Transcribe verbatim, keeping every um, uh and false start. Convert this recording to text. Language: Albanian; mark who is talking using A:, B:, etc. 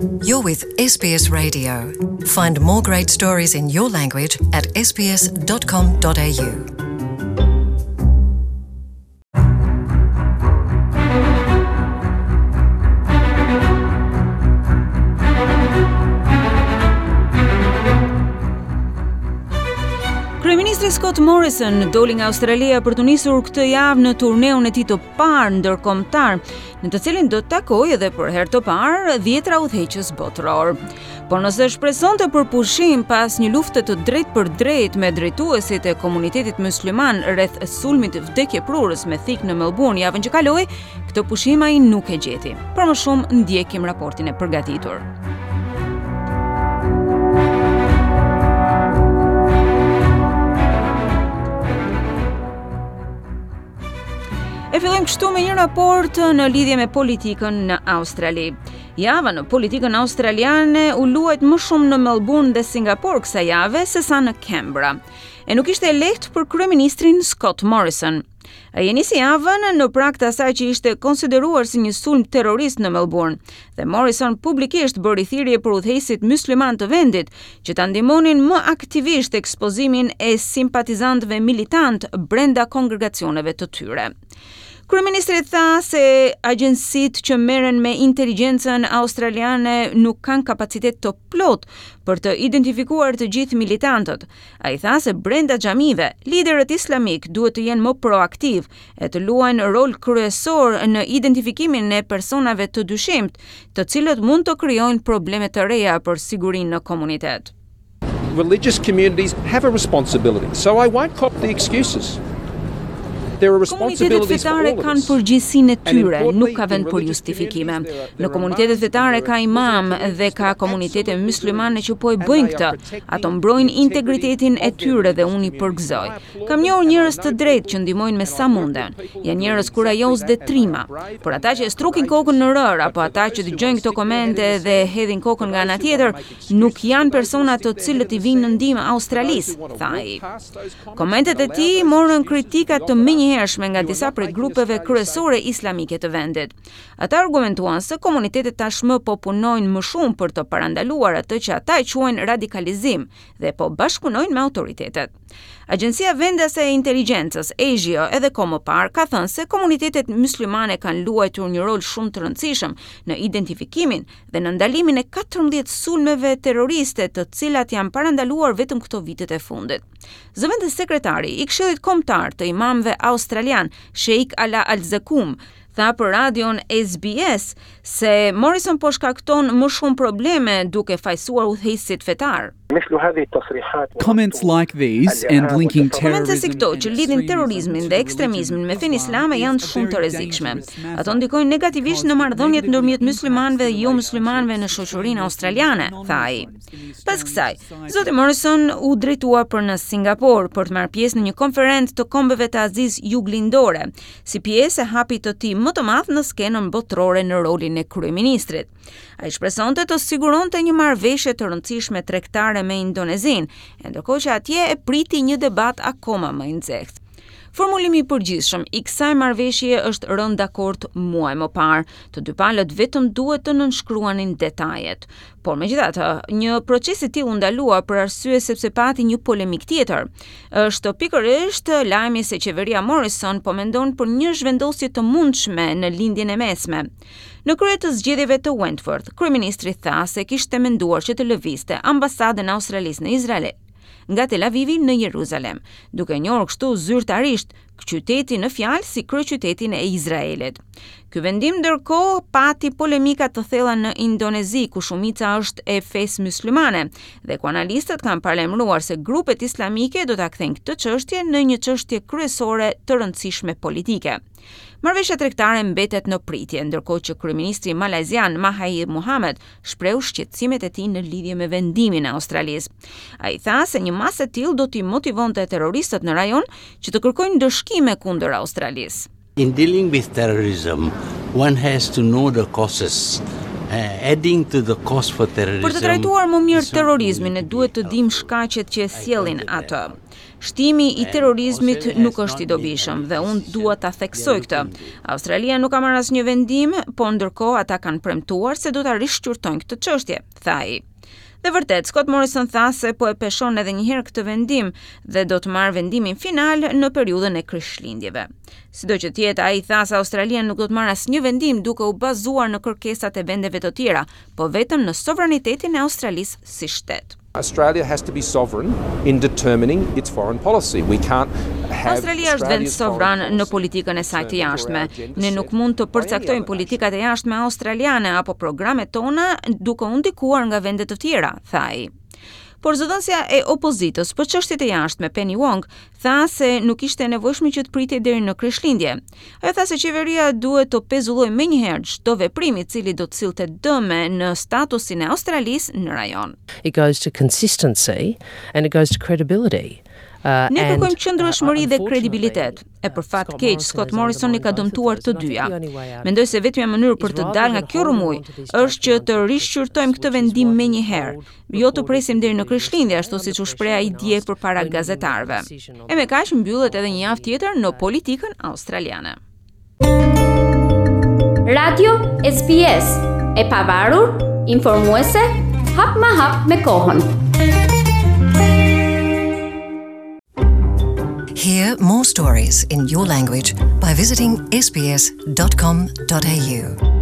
A: You're with S B S Radio. Find more great stories in your language at S B S dot com dot A U.
B: Kryeministri Scott Morrison doli nga Australia për të nisur këtë javë në turneun e tij të parë ndërkombëtar, në të cilin do të takojë edhe për herë të parë dhjetra udhëheqës botëror. Por nëse shpresonte për pushim pas një lufte të drejt për drejt me drejtuesit e komunitetit musliman rreth sulmit vdekjeprurës me thikë në Melbourne javën që kaloi, këtë pushim ai nuk e gjeti. Për më shumë, ndjekim raportin e përgatitur. E fillojmë kështu me një raport në lidhje me politikën në Australi. Java në politikën australiane u luajt më shumë në Melbourne dhe Singapur kësaj jave se sa në Canberra. E nuk ishte e lehtë për kryeministrin Scott Morrison. Ai e nisi javën në prag të asaj që ishte konsideruar si një sulm terrorist në Melbourne, dhe Morrison publikisht bëri thirrje për udhëheqësit musliman të vendit që ta ndihmonin më aktivisht ekspozimin e simpatizantëve militant brenda kongregacioneve të tyre. Kryeministri tha se agjencitë që merren me inteligjencën australiane nuk kanë kapacitet të plot për të identifikuar të gjithë militantët. Ai tha se brenda xhamive, liderët islamik duhet të jenë më proaktiv e të luajnë rol kryesor në identifikimin e personave të dyshimtë, të cilët mund të krijojnë probleme të reja për sigurinë në komunitet.
C: Religious communities have a responsibility, so I won't cop the excuses.
B: Komunitetet fetare kanë përgjegjësinë e tyre, nuk ka vend për justifikime. Në komunitetet fetare ka imam dhe ka komunitete muslimane që po e bëjnë këtë. Ato mbrojnë integritetin e tyre dhe unë i përgëzoj. Kam njohur njerëz të drejtë që ndihmojnë me sa munden. Janë njerëz kurajoz dhe trima. Por ata që e strukin kokën në rërë apo ata që dëgjojnë këto komente dhe hedhin kokën nga ana tjetër, nuk janë persona të cilët i vinë në ndihmë Australisë, tha ai. Komentet e tij morën kritika të menjëhershme nga disa prej grupeve kryesore islamike të vendit. Ata argumentuan se komunitetet tashmë po punojnë më shumë për të parandaluar atë që ata e quajnë radikalizim dhe po bashkëpunojnë me autoritetet. Agjencia vendase e inteligjencës, ASIO, edhe kohë më parë ka thënë se komunitetet muslimane kanë luajtur një rol shumë të rëndësishëm në identifikimin dhe në ndalimin e katërmbëdhjetë sulmeve terroriste, të cilat janë parandaluar vetëm këto vitet e fundit. Zëvendës sekretari i Këshillit Kombëtar të Imamëve Australian, Sheikh Ala Al-Zakum, tha për radion S B S se Morrison po shkakton më shumë probleme duke fajsuar udhëheqësit fetar.
D: Comments like these and linking
B: Komente si këto që lidhin terrorizmin dhe ekstremizmin me fenë islame janë shumë të rrezikshme. Ato ndikojnë negativisht në marrëdhëniet ndërmjet muslimanëve dhe jo muslimanëve në shoqërinë australiane, tha ai. Pas kësaj, zoti Morrison u drejtua për në Singapur për të marrë pjesë në një konferencë të kombeve të Azisë Juglindore, si pjesë e hapit të tij më të madh në skenën botërore në rolin e kryeministrit. Ai shpresonte të siguronte një marrëveshje të rëndësishme tregtare me Indonezinë, e ndërkohë që atje e priti një debat akoma më i nxehtë. Formulimi i përgjithshëm i kësaj marrëveshjeje është rënë dakord muaj më parë. Të dy palët vetëm duhet të nënshkruanin detajet. Por megjithatë, një proces i tillë u ndalua për arsye sepse pati një polemik tjetër. Është pikërisht lajmi se qeveria Morrison po mendon për një zhvendosje të mundshme në Lindjen e Mesme. Në krye të zgjedhjeve të Wentworth, kryeministri tha se kishte menduar që të lëvizte ambasadën e Australisë në Izrael nga Tel Avivi në Jeruzalem, duke njohur kështu zyrtarisht qytetin në fjalë si kryeqytetin e Izraelit. Ky vendim ndërkohë pati polemika të thella në Indonezi, ku shumica është e fesë muslimane dhe ku analistët kanë paralajmëruar se grupet islamike do ta kthejnë këtë çështje në një çështje kryesore të rëndësishme politike. Marrëveshja tregtare mbetet në pritje, ndërkohë që kryeministri malajzian Mahathir Mohamad shprehu shqetësimet e tij në lidhje me vendimin e Australisë. Ai tha se një masë e tillë do t'i motivonte terroristët në rajon që të kërkojnë ndëshkime kundër Australisë.
E: In dealing with terrorism, one has to know the causes Adding to the cost for terrorism.
B: Për të trajtuar më mirë terrorizmin, ne duhet të dimë shkaqet që e sjellin atë. Shtimi i terrorizmit nuk është i dobishëm dhe unë dua ta theksoj këtë. Australia nuk ka marrë asnjë vendim, po ndërkohë ata kanë premtuar se do ta rishqyrtojnë këtë çështje, tha ai. Dhe vërtet, Scott Morrison tha se po e peshon edhe një herë këtë vendim dhe do të marrë vendimin final në periudhën e Krishtlindjeve. Sido që të jetë, ai tha se Australia nuk do të marrë asnjë vendim duke u bazuar në kërkesat e vendeve të tjera, po vetëm në sovranitetin e Australisë si shtet.
C: Australia has to be sovereign in determining its foreign policy. We can't have
B: Australia është vend sovran në politikën e saj të jashtme. Ne nuk mund të përcaktojmë politikat e jashtme australiane apo programet tona duke u ndikuar nga vende të tjera, tha ai. Por zëdhënësja e opozitës për çështjet e jashtme Penny Wong tha se nuk ishte e nevojshme që të pritej deri në Krishtlindje. Ajo tha se qeveria duhet të pezullojë menjëherë çdo veprim i cili do të sillte dëme në statusin e Australisë në rajon.
F: It goes to consistency and it goes to credibility.
B: Uh, Ne kërkojmë qëndrueshmëri dhe kredibilitet. E për fat keq, Scott Morrison i ka dëmtuar të dyja. Mendoj se vetmja mënyrë për të dalë nga kjo rrëmujë është që të rishqyrtojmë këtë vendim menjëherë, jo të presim deri në Krishtlindje, ashtu siç u shpreh ai dje përpara gazetarëve. E me kaq mbyllet edhe një javë tjetër në politikën australiane.
G: Radio S B S, e pavarur, informuese, hap ma hap me kohën.
A: Hear more stories in your language by visiting S B S dot com dot A U.